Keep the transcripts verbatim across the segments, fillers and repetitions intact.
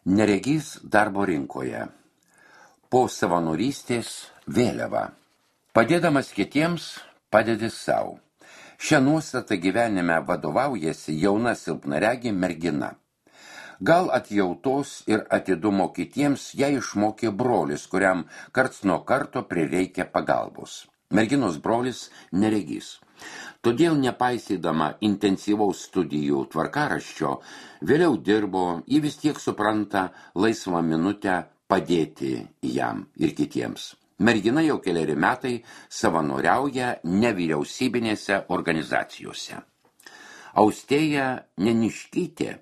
Neregys darbo rinkoje. Po savanorystės vėliava. Padėdamas kitiems, padedi savo. Šią nuostatą gyvenime vadovaujasi jauna silpnaregė mergina. Gal atjautos ir atidumo kitiems ją išmokė brolis, kuriam karts nuo karto prireikia pagalbos. Merginos brolis neregys. Todėl nepaisydama intensyvaus studijų tvarkaraščio, vėliau dirbo, ji vis tiek supranta laisvą minutę padėti jam ir kitiems. Mergina jau keleri metai savanoriauja nevyriausybinėse organizacijose. Austėja Neniškytė,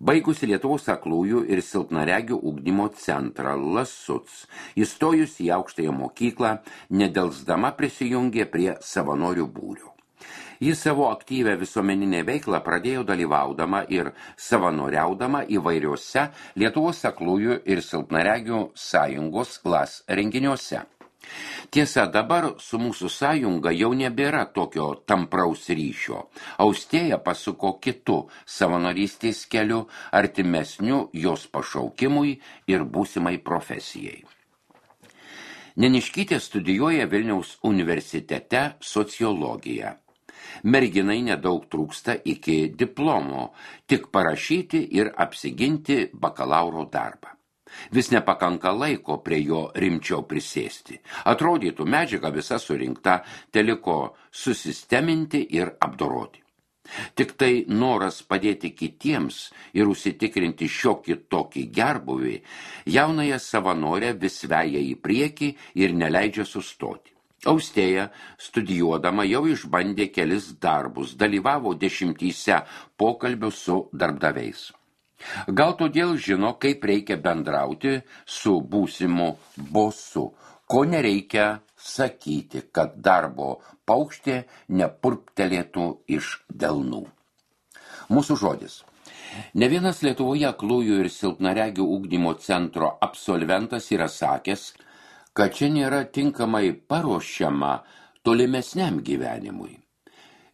baigusi Lietuvos aklųjų ir silpnaregių ugdymo centrą Lasuc, įstojus į aukštąją mokyklą, nedelsdama prisijungė prie savanorių būrio. Jis savo aktyvę visuomeninę veiklą pradėjo dalyvaudama ir savanoriaudama įvairiuose Lietuvos aklųjų ir silpnaregių sąjungos Las renginiuose. Tiesa, dabar su mūsų sąjunga jau nebėra tokio tampraus ryšio. Austėja pasuko kitu savanorystės keliu, artimesniu jos pašaukimui ir būsimai profesijai. Neniškytė studijuoja Vilniaus universitete sociologiją. Merginai nedaug trūksta iki diplomo, tik parašyti ir apsiginti bakalauro darbą. Vis nepakanka laiko prie jo rimčiau prisėsti. Atrodytų, medžiaga visa surinkta, teliko susisteminti ir apdoroti. Tik tai noras padėti kitiems ir užsitikrinti šiokį tokį gerbuvį, jaunąją savanorę vis veja į priekį ir neleidžia sustoti. Austėja, studijuodama, jau išbandė kelis darbus, dalyvavo dešimtyse pokalbių su darbdaviais. Gal todėl žino, kaip reikia bendrauti su būsimu bosu, ko nereikia sakyti, kad darbo paukštė nepurptelėtų iš delnų. Mūsų žodis. Ne vienas Lietuvoje aklųjų ir silpnaregių ugdymo centro absolventas yra sakęs, kad čia nėra tinkamai paruošiama tolimesniam gyvenimui.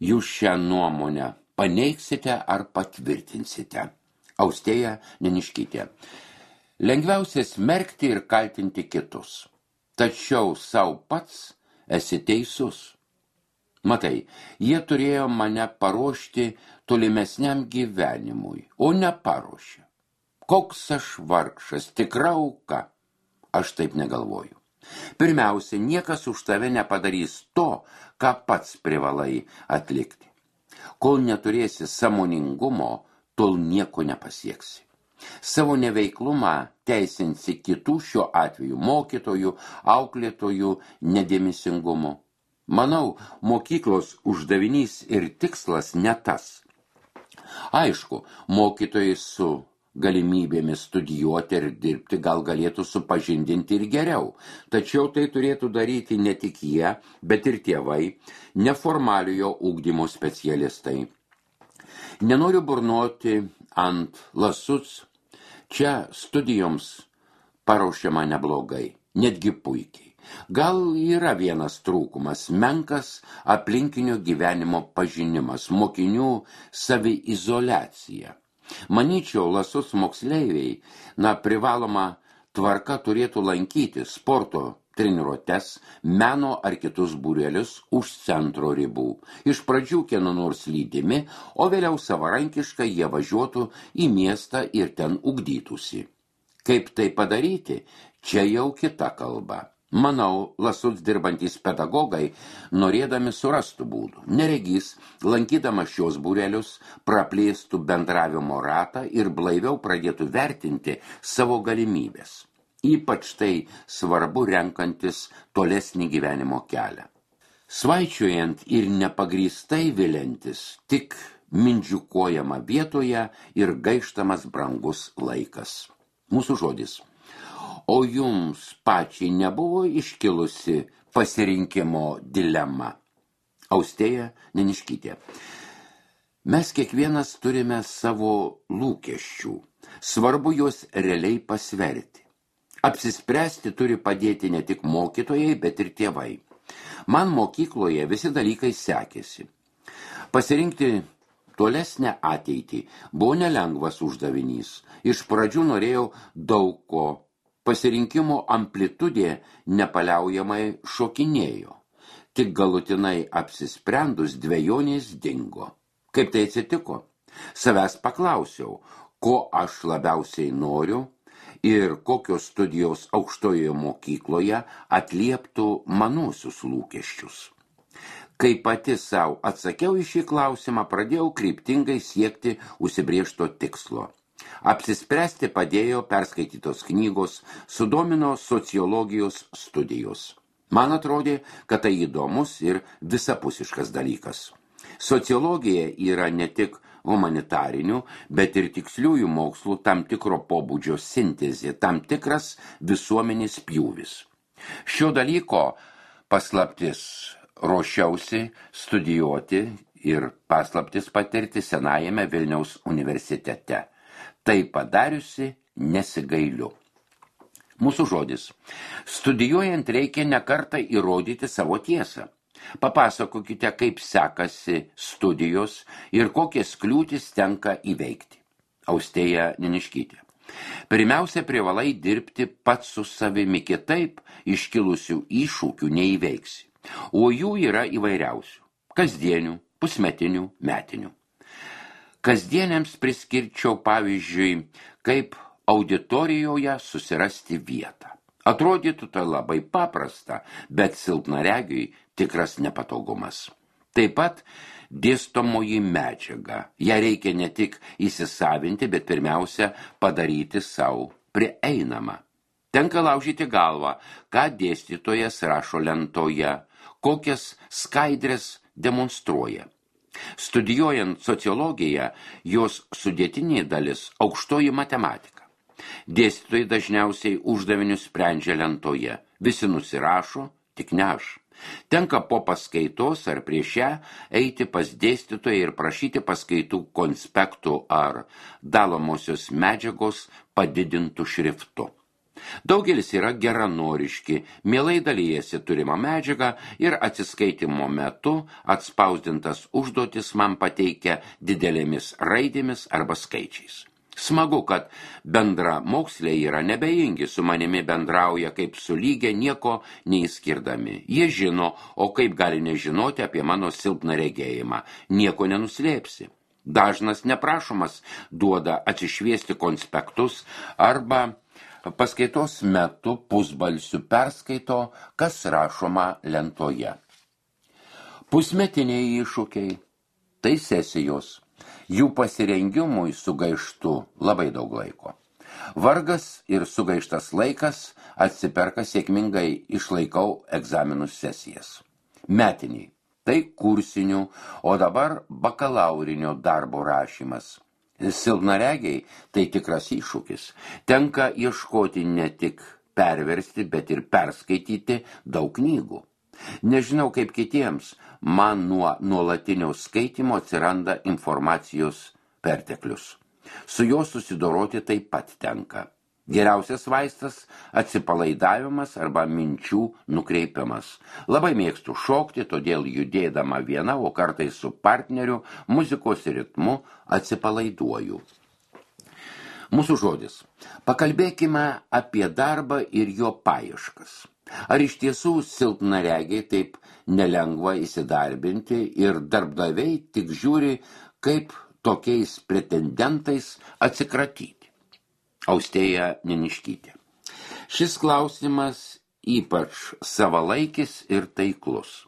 Jūs šią nuomonę paneigsite ar patvirtinsite. Austėja Neniškytė. Lengviausia smerkti ir kaltinti kitus. Tačiau savo pats esi teisus. Matai, jie turėjo mane paruošti tolimesniam gyvenimui, o neparuošė. Koks aš vargšas, tikra auka. Aš taip negalvoju. Pirmiausia, niekas už tave nepadarys to, ką pats privalai atlikti. Kol neturėsi sąmoningumo, tol nieko nepasieksi. Savo neveiklumą teisinsi kitų, šiuo atveju mokytojų, auklėtojų nedėmesingumu. Manau, mokyklos uždavinys ir tikslas ne tas. Aišku, mokytojai su galimybėmis studijuoti ir dirbti gal galėtų supažindinti ir geriau, tačiau tai turėtų daryti ne tik jie, bet ir tėvai, neformaliojo ugdymo specialistai. Nenoriu burnoti ant Lasuc, čia studijoms paruošiama neblogai, netgi puikiai. Gal yra vienas trūkumas, menkas aplinkinio gyvenimo pažinimas, mokinių saviizoliacija. Manyčiau, Lasuc moksleiviai, na, privaloma tvarka turėtų lankyti sporto treniruotes, meno ar kitus būrelius už centro ribų. Iš pradžių kieno nors lydimi, o vėliau savarankiškai jie važiuotų į miestą ir ten ugdytųsi. Kaip tai padaryti? Čia jau kita kalba. Manau, Lasuc dirbantys pedagogai, norėdami surastų būdų. Neregys, lankydama šios būrelius, praplėstų bendravimo ratą ir blaiviau pradėtų vertinti savo galimybės. Ypač tai svarbu renkantis tolesnį gyvenimo kelią. Svaičiojant ir nepagrįstai viliantis, tik mindžiukuojama vietoje ir gaištamas brangus laikas. Mūsų žodis. O jums pačiai nebuvo iškilusi pasirinkimo dilema? Austėja Neniškytė. Mes kiekvienas turime savo lūkesčių. Svarbu juos realiai pasverti. Apsispręsti turi padėti ne tik mokytojai, bet ir tėvai. Man mokykloje visi dalykai sekėsi. Pasirinkti tolesnę ateitį buvo nelengvas uždavinys. Iš pradžių norėjau daug ko. Pasirinkimo amplitudė nepaliaujamai šokinėjo. Tik galutinai apsisprendus dvejonės dingo. Kaip tai atsitiko? Savęs paklausiau, ko aš labiausiai noriu ir kokios studijos aukštojoje mokykloje atlieptų manuosius lūkesčius. Kai pati savo atsakiau į šį klausimą, pradėjau kryptingai siekti užsibrėžto tikslo. Apsispręsti padėjo perskaitytos knygos, sudomino sociologijos studijos. Man atrodė, kad tai įdomus ir visapusiškas dalykas. Sociologija yra ne tik humanitarinių, bet ir tiksliųjų mokslų tam tikro pobūdžio sintezė, tam tikras visuomenės pjūvis. Šio dalyko paslaptis ruošiausi studijuoti ir paslaptis patirti senajame Vilniaus universitete. Tai padariusi nesigailiu. Mūsų žodis. Studijuojant reikia nekartą įrodyti savo tiesą. Papasakokite, kaip sekasi studijos ir kokias kliūtis tenka įveikti. Austėja Neniškytė. Pirmiausia, privalai dirbti pats su savimi, kitaip iškilusių iššūkių neįveiksi. O jų yra įvairiausių. Kasdienių, pusmetinių, metinių. Kasdieniams priskirčiau pavyzdžiui, kaip auditorijoje susirasti vietą. Atrodytų tai labai paprasta, bet silpnaregiui tikras nepatogumas. Taip pat dėstomoji medžiaga. Ja reikia ne tik įsisavinti, bet pirmiausia padaryti savo prieinamą. Tenka laužyti galvą, ką dėstytojas rašo lentoje, kokias skaidres demonstruoja. Studijuojant sociologiją, jos sudėtinė dalis aukštoji matematika. Dėstytojai dažniausiai uždavinius sprendžia lentoje. Visi nusirašo, tik ne aš. Tenka po paskaitos ar prieš ją eiti pas dėstytoją ir prašyti paskaitų konspektų ar dalomosios medžiagos padidintų šriftu. Daugelis yra geranoriški, mielai dalijasi turimą medžiagą ir atsiskaitimo metu atspausdintas užduotis man pateikia didelėmis raidėmis arba skaičiais. Smagu, kad bendra moksliai yra nebejingi, su manimi bendrauja kaip su lygia, nieko neįskirdami. Jie žino, o kaip gali nežinoti apie mano silpną regėjimą, nieko nenuslėpsi. Dažnas neprašomas duoda atsišviesti konspektus arba paskaitos metu pusbalsiu perskaito, kas rašoma lentoje. Pusmetiniai iššūkiai – tai sesijos. Jų pasirengimui sugaištu labai daug laiko. Vargas ir sugaištas laikas atsiperka sėkmingai išlaikau egzaminų sesijas. Metiniai – tai kursinių, o dabar bakalaurinio darbo rašymas. Silpnaregiai – tai tikras iššūkis. Tenka ieškoti ne tik perversti, bet ir perskaityti daug knygų. Nežinau kaip kitiems, man nuo nuolatinio skaitymo atsiranda informacijos perteklius. Su juo susidoroti taip pat tenka. Geriausias vaistas – atsipalaidavimas arba minčių nukreipimas. Labai mėgstu šokti, todėl judėdama viena, o kartais su partneriu, muzikos ritmu atsipalaiduoju. Mūsų žodis. Pakalbėkime apie darbą ir jo paieškas. Ar iš tiesų silpnaregiai taip nelengva įsidarbinti ir darbdaviai tik žiūri, kaip tokiais pretendentais atsikratyti? Austėja Neniškytė. Šis klausimas ypač savalaikis ir taiklus.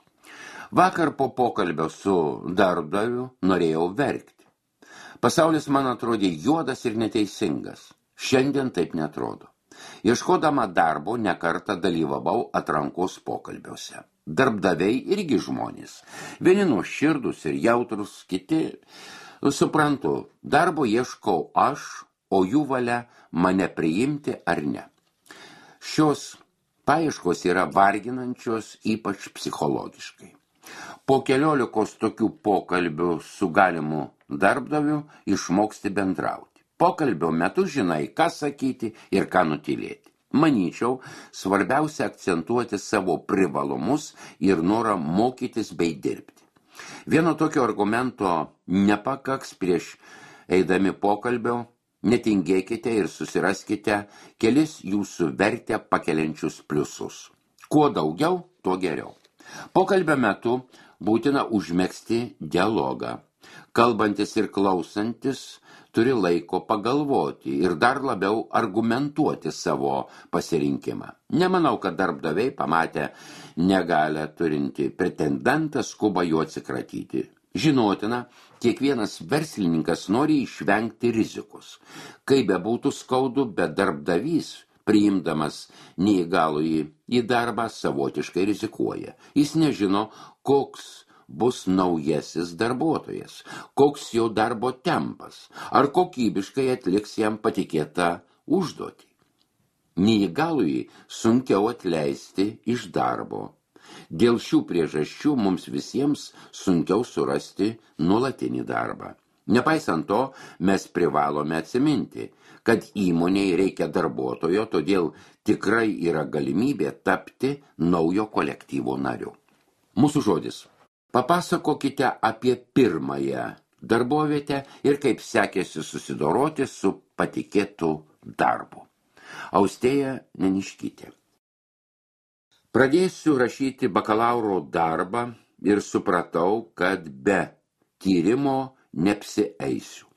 Vakar po pokalbio su darbdaviu norėjau verkti. Pasaulis man atrodė juodas ir neteisingas. Šiandien taip netrodo. Ieškodama darbo nekartą dalyvavau atrankos pokalbiuose. Darbdaviai irgi žmonės. Vieni nuoširdūs ir jautrus, kiti, suprantu, darbo ieškau aš, o jų valia mane priimti ar ne. Šios paieškos yra varginančios, ypač psichologiškai. Po keliolikos tokių pokalbių su galimu darbdaviu išmoksti bendrauti. Pokalbio metu žinai, ką sakyti ir ką nutylėti. Manyčiau, svarbiausia akcentuoti savo privalumus ir norą mokytis bei dirbti. Vieno tokio argumento nepakaks prieš eidami pokalbio, netingėkite ir susiraskite kelis jūsų vertę pakeliančius pliusus. Kuo daugiau, tuo geriau. Pokalbio metu būtina užmegzti dialogą. Kalbantis ir klausantis turi laiko pagalvoti ir dar labiau argumentuoti savo pasirinkimą. Nemanau, kad darbdaviai pamatę negalę turinti pretendentą skuba juo atsikratyti. Žinotina, kiekvienas verslininkas nori išvengti rizikos. Kaip bebūtų skaudu, bet darbdavys, priimdamas neįgalųjį į darbą, savotiškai rizikuoja. Jis nežino, koks bus naujasis darbuotojas, koks jo darbo tempas, ar kokybiškai atliks jam patikėtą užduotį. Neįgalųjį sunkiau atleisti iš darbo. Dėl šių priežasčių mums visiems sunkiau surasti nuolatinį darbą. Nepaisant to, mes privalome atsiminti, kad įmonei reikia darbuotojo, todėl tikrai yra galimybė tapti naujo kolektyvo nariu. Mūsų žodis. Papasakokite apie pirmąją darbovietę ir kaip sekėsi susidoroti su patikėtu darbu. Austėja Neniškytė. Pradėsiu rašyti bakalauro darbą ir supratau, kad be tyrimo neapsieisiu.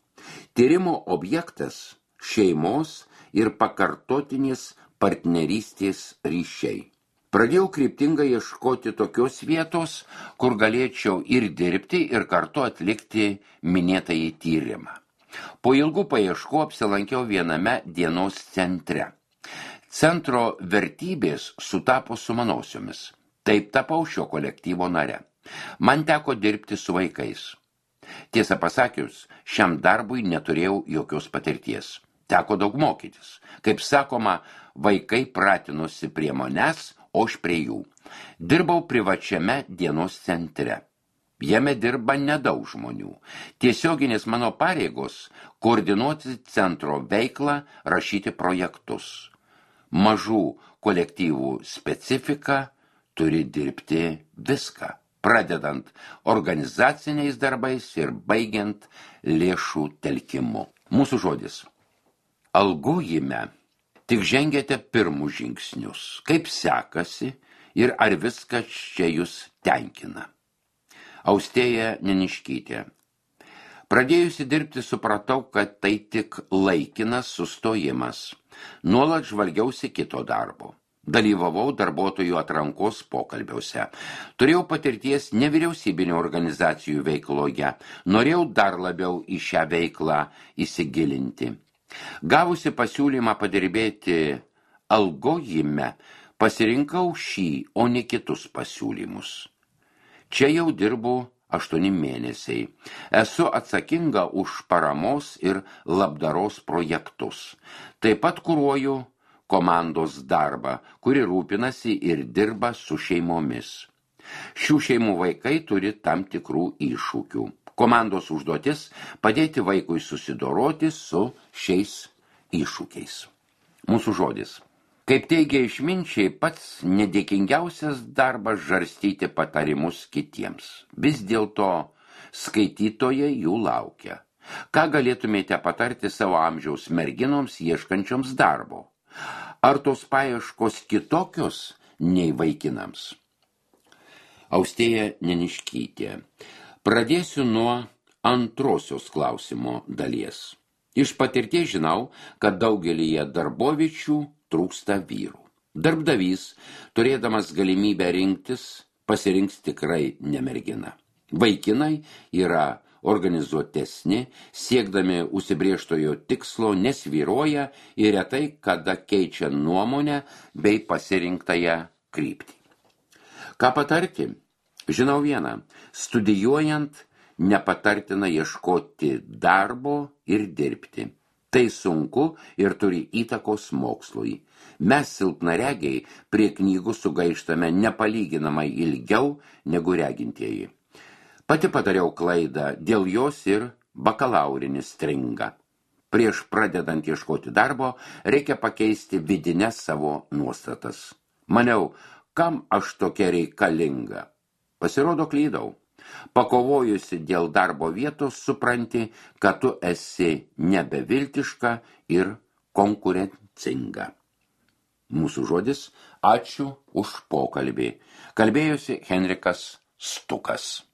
Tyrimo objektas šeimos ir pakartotinės partnerystės ryšiai. Pradėjau kryptingai ieškoti tokios vietos, kur galėčiau ir dirbti, ir kartu atlikti minėtąjį tyrimą. Po ilgų paieškų apsilankiau viename dienos centre. Centro vertybės sutapo su manosiomis. Taip tapau šio kolektyvo nare. Man teko dirbti su vaikais. Tiesą pasakius, šiam darbui neturėjau jokios patirties. Teko daug mokytis. Kaip sakoma, vaikai pratinosi prie manęs, o aš prie jų. Dirbau privačiame dienos centre. Jame dirba nedaug žmonių. Tiesioginės mano pareigos – koordinuoti centro veiklą, rašyti projektus. Mažų kolektyvų specifika turi dirbti viską, pradedant organizaciniais darbais ir baigiant lėšų telkimu. Mūsų žodis. Algojime tik žengėte pirmus žingsnius. Kaip sekasi ir ar viskas čia jūs tenkina? Austėja Neniškytė. Pradėjusi dirbti supratau, kad tai tik laikinas sustojimas. Nuolat žvalgiausi kito darbo. Dalyvavau darbuotojų atrankos pokalbiuose. Turėjau patirties nevyriausybinių organizacijų veikloje. Norėjau dar labiau į šią veiklą įsigilinti. Gavusi pasiūlymą padirbėti algojime, pasirinkau šį, o ne kitus pasiūlymus. Čia jau dirbu aštuoni mėnesiai. Esu atsakinga už paramos ir labdaros projektus. Taip pat kuruoju komandos darbą, kuri rūpinasi ir dirba su šeimomis. Šių šeimų vaikai turi tam tikrų iššūkių. Komandos užduotis – padėti vaikui susidoroti su šiais iššūkiais. Mūsų žodis. Kaip teigia išminčiai, pats nedėkingiausias darbas žarstyti patarimus kitiems. Vis dėlto skaitytojai jų laukia. Ką galėtumėte patarti savo amžiaus merginoms ieškančioms darbo? Ar tos paieškos kitokios nei vaikinams? Austėja Neniškytė. Pradėsiu nuo antrosios klausimo dalies. Iš patirties žinau, kad daugelyje darboviečių trūksta vyrų. Darbdavys, turėdamas galimybę rinktis, pasirinks tikrai ne merginą. Vaikinai yra organizuotesni, siekdami užsibrėžtojo tikslo nesvyruoja ir retai kada keičia nuomonę bei pasirinktąją kryptį. Ką patarti? Žinau vieną, studijuojant nepatartina ieškoti darbo ir dirbti. Tai sunku ir turi įtakos mokslui. Mes silpnaregiai prie knygų sugaištame nepalyginamai ilgiau negu regintieji. Pati padariau klaidą, dėl jos ir bakalaurinis stringa. Prieš pradedant ieškoti darbo, reikia pakeisti vidines savo nuostatas. Maniau, kam aš tokia reikalinga? Pasirodo, klydau. Pakovojusi dėl darbo vietos supranti, kad tu esi nebeviltiška ir konkurencinga. Mūsų žodis, ačiū už pokalbį. Kalbėjosi Henrikas Stukas.